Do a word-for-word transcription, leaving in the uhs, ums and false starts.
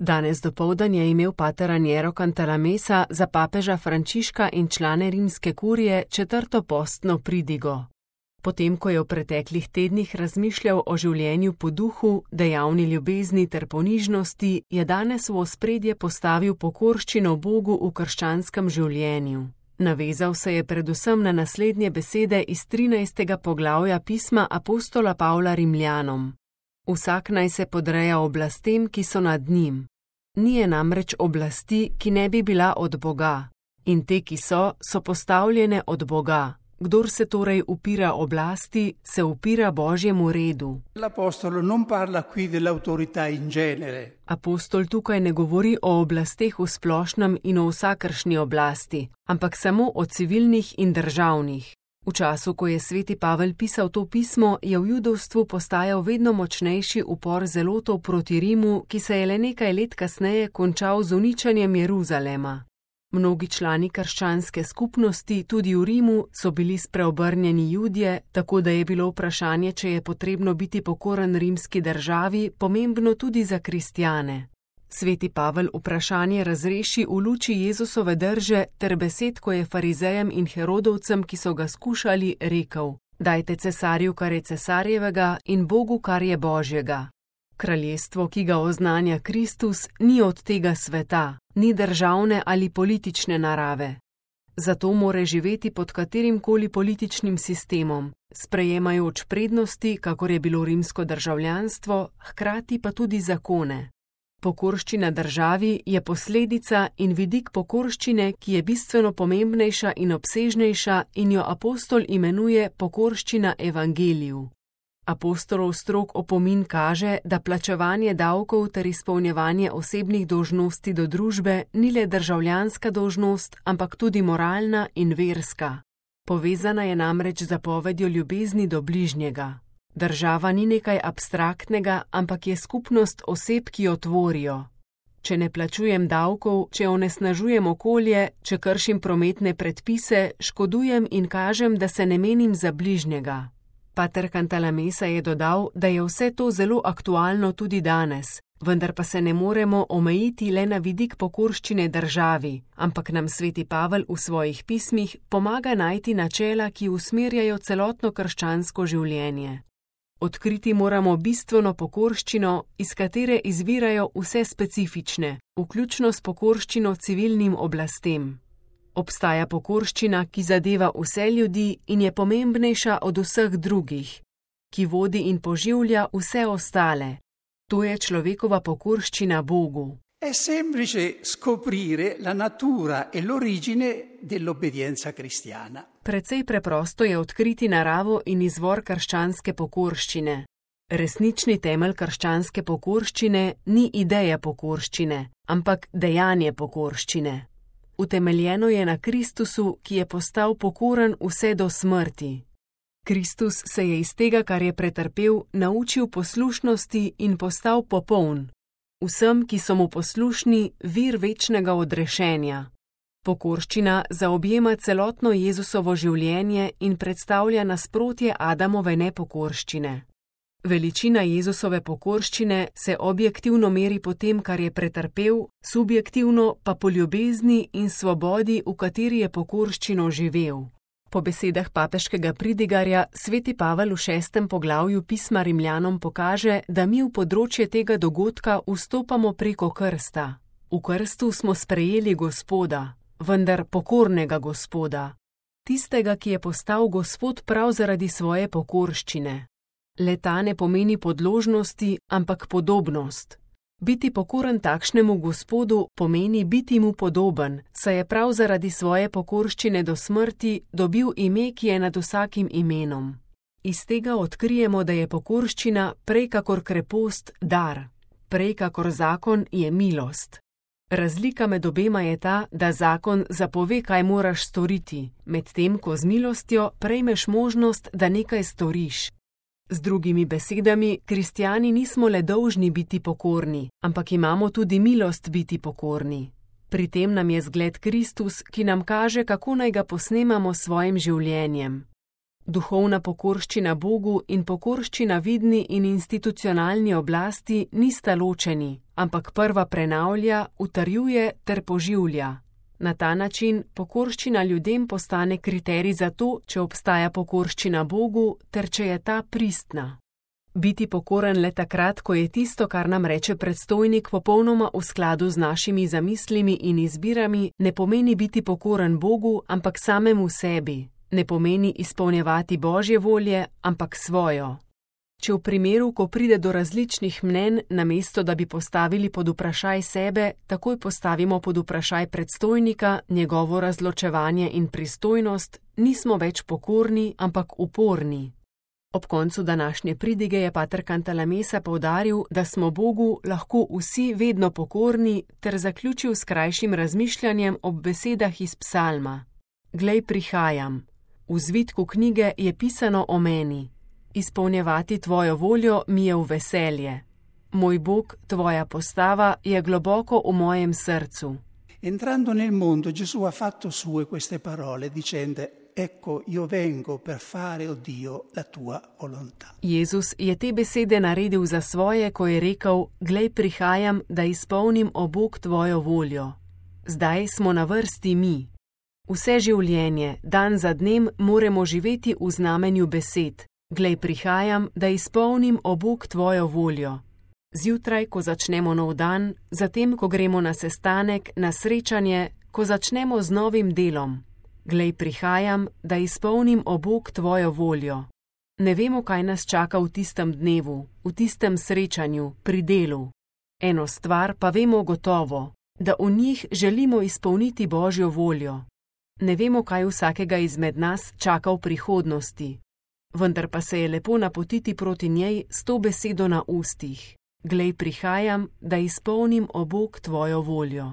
Danes dopoldan je imel pater Raniero Cantalamessa za papeža Frančiška in člane rimske kurije četrto postno pridigo. Potem, ko je v preteklih tednih razmišljal o življenju po duhu, dejavni ljubezni ter ponižnosti, je danes v ospredje postavil pokorščino Bogu v krščanskem življenju. Navezal se je predvsem na naslednje besede iz trinajstega poglavja pisma apostola Pavla Rimljanom. Vsak naj se podreja oblastem, ki so nad njim. Ni je namreč oblasti, ki ne bi bila od Boga. In te, ki so, so postavljene od Boga. Kdor se torej upira oblasti, se upira Božjemu redu. L'apostolo non parla qui dell'autorità in genere. Apostol tukaj ne govori o oblasteh v splošnem in o vsakršni oblasti, ampak samo o civilnih in državnih. V času, ko je sveti Pavel pisal to pismo, je v judovstvu postajal vedno močnejši upor zelotov proti Rimu, ki se je le nekaj let kasneje končal z uničenjem Jeruzalema. Mnogi člani krščanske skupnosti, tudi v Rimu, so bili spreobrnjeni Judje, tako da je bilo vprašanje, če je potrebno biti pokoren rimski državi, pomembno tudi za kristjane. Sveti Pavel vprašanje razreši v luči Jezusove drže ter besed, ko je farizejem in herodovcem, ki so ga skušali, rekel: Dajte cesarju, kar je cesarjevega, in Bogu, kar je Božjega. Kraljestvo, ki ga oznanja Kristus, ni od tega sveta, ni državne ali politične narave. Zato more živeti pod katerimkoli političnim sistemom, sprejemajoč prednosti, kakor je bilo rimsko državljanstvo, hkrati pa tudi zakone. Pokorščina državi je posledica in vidik pokorščine, ki je bistveno pomembnejša in obsežnejša in jo apostol imenuje pokorščina evangeliju. Apostolov strog opomin kaže, da plačevanje davkov ter izpolnjevanje osebnih dolžnosti do družbe ni le državljanska dolžnost, ampak tudi moralna in verska. Povezana je namreč z zapovedjo ljubezni do bližnjega. Država ni nekaj abstraktnega, ampak je skupnost oseb, ki jo tvorijo. Če ne plačujem davkov, če onesnažujem okolje, če kršim prometne predpise, škodujem in kažem, da se ne menim za bližnjega. Pater Cantalamessa je dodal, da je vse to zelo aktualno tudi danes, vendar pa se ne moremo omejiti le na vidik pokorščine državi, ampak nam sveti Pavel v svojih pismih pomaga najti načela, ki usmerjajo celotno krščansko življenje. Odkriti moramo bistveno pokorščino, iz katere izvirajo vse specifične, vključno s pokorščino civilnim oblastem. Obstaja pokorščina, ki zadeva vse ljudi in je pomembnejša od vseh drugih, ki vodi in poživlja vse ostale. To je človekova pokorščina Bogu. È semplice scoprire la natura e l'origine dell'obbedienza cristiana. Precej preprosto je odkriti naravo in izvor krščanske pokorščine. Resnični temelj krščanske pokorščine ni ideja pokorščine, ampak dejanje pokorščine. Utemeljeno je na Kristusu, ki je postal pokoren vse do smrti. Kristus se je iz tega, kar je pretrpel, naučil poslušnosti in postal popoln. Vsem, ki so mu poslušni, vir večnega odrešenja. Pokorščina zaobjema celotno Jezusovo življenje in predstavlja nasprotje Adamove nepokorščine. Veličina Jezusove pokorščine se objektivno meri po tem, kar je pretrpel, subjektivno pa po ljubezni in svobodi, v kateri je pokorščino živel. Po besedah papeškega pridigarja sveti Pavel v šestem poglavju pisma Rimljanom pokaže, da mi v področje tega dogodka vstopamo preko krsta. V krstu smo sprejeli Gospoda, vendar pokornega Gospoda. Tistega, ki je postal Gospod prav zaradi svoje pokorščine. Le ta ne pomeni podložnosti, ampak podobnost. Biti pokoren takšnemu Gospodu pomeni biti mu podoben, saj je prav zaradi svoje pokorščine do smrti dobil ime, ki je nad vsakim imenom. Iz tega odkrijemo, da je pokorščina prej kakor krepost dar, prej kakor zakon je milost. Razlika med obema je ta, da zakon zapove, kaj moraš storiti, medtem ko z milostjo prejmeš možnost, da nekaj storiš. Z drugimi besedami, kristjani nismo le dolžni biti pokorni, ampak imamo tudi milost biti pokorni. Pri tem nam je zgled Kristus, ki nam kaže, kako naj ga posnemamo s svojim življenjem. Duhovna pokorščina Bogu in pokorščina vidni in institucionalni oblasti nista ločeni, ampak prva prenavlja, utrjuje ter poživlja. Na ta način pokorščina ljudem postane kriterij za to, če obstaja pokorščina Bogu ter če je ta pristna. Biti pokoren le takrat, ko je tisto, kar nam reče predstojnik, popolnoma v skladu z našimi zamislimi in izbirami, ne pomeni biti pokoren Bogu, ampak samemu sebi. Ne pomeni izpolnjevati Božje volje, ampak svojo. Če v primeru, ko pride do različnih mnenj, namesto da bi postavili pod vprašaj sebe, takoj postavimo pod vprašaj predstojnika, njegovo razločevanje in pristojnost, nismo več pokorni, ampak uporni. Ob koncu današnje pridige je pater Cantalamessa poudaril, da smo Bogu lahko vsi vedno pokorni, ter zaključil s krajšim razmišljanjem ob besedah iz psalma. Glej, prihajam. V zvitku knjige je pisano o meni. Izpolnjevati tvojo voljo mi je v veselje. Moj Bog, tvoja postava je globoko v mojem srcu. Entrando nel mondo, Gesù ha fatto sue queste parole, dicendo: Ecco, io vengo per fare, o Dio, la tua volontà. Jezus je te besede naredil za svoje, ko je rekel: Glej, prihajam, da izpolnim, o Bog, tvojo voljo. Zdaj smo na vrsti mi. Vse življenje, dan za dnem, moramo živeti v znamenju besed. Glej, prihajam, da izpolnim, o Bog, tvojo voljo. Zjutraj, ko začnemo nov dan, zatem, ko gremo na sestanek, na srečanje, ko začnemo z novim delom. Glej, prihajam, da izpolnim, o Bog, tvojo voljo. Ne vemo, kaj nas čaka v tistem dnevu, v tistem srečanju, pri delu. Eno stvar pa vemo gotovo, da v njih želimo izpolniti Božjo voljo. Ne vemo, kaj vsakega izmed nas čaka v prihodnosti, vendar pa se je lepo napotiti proti njej s to besedo na ustih. Glej, prihajam, da izpolnim, o Bog, tvojo voljo.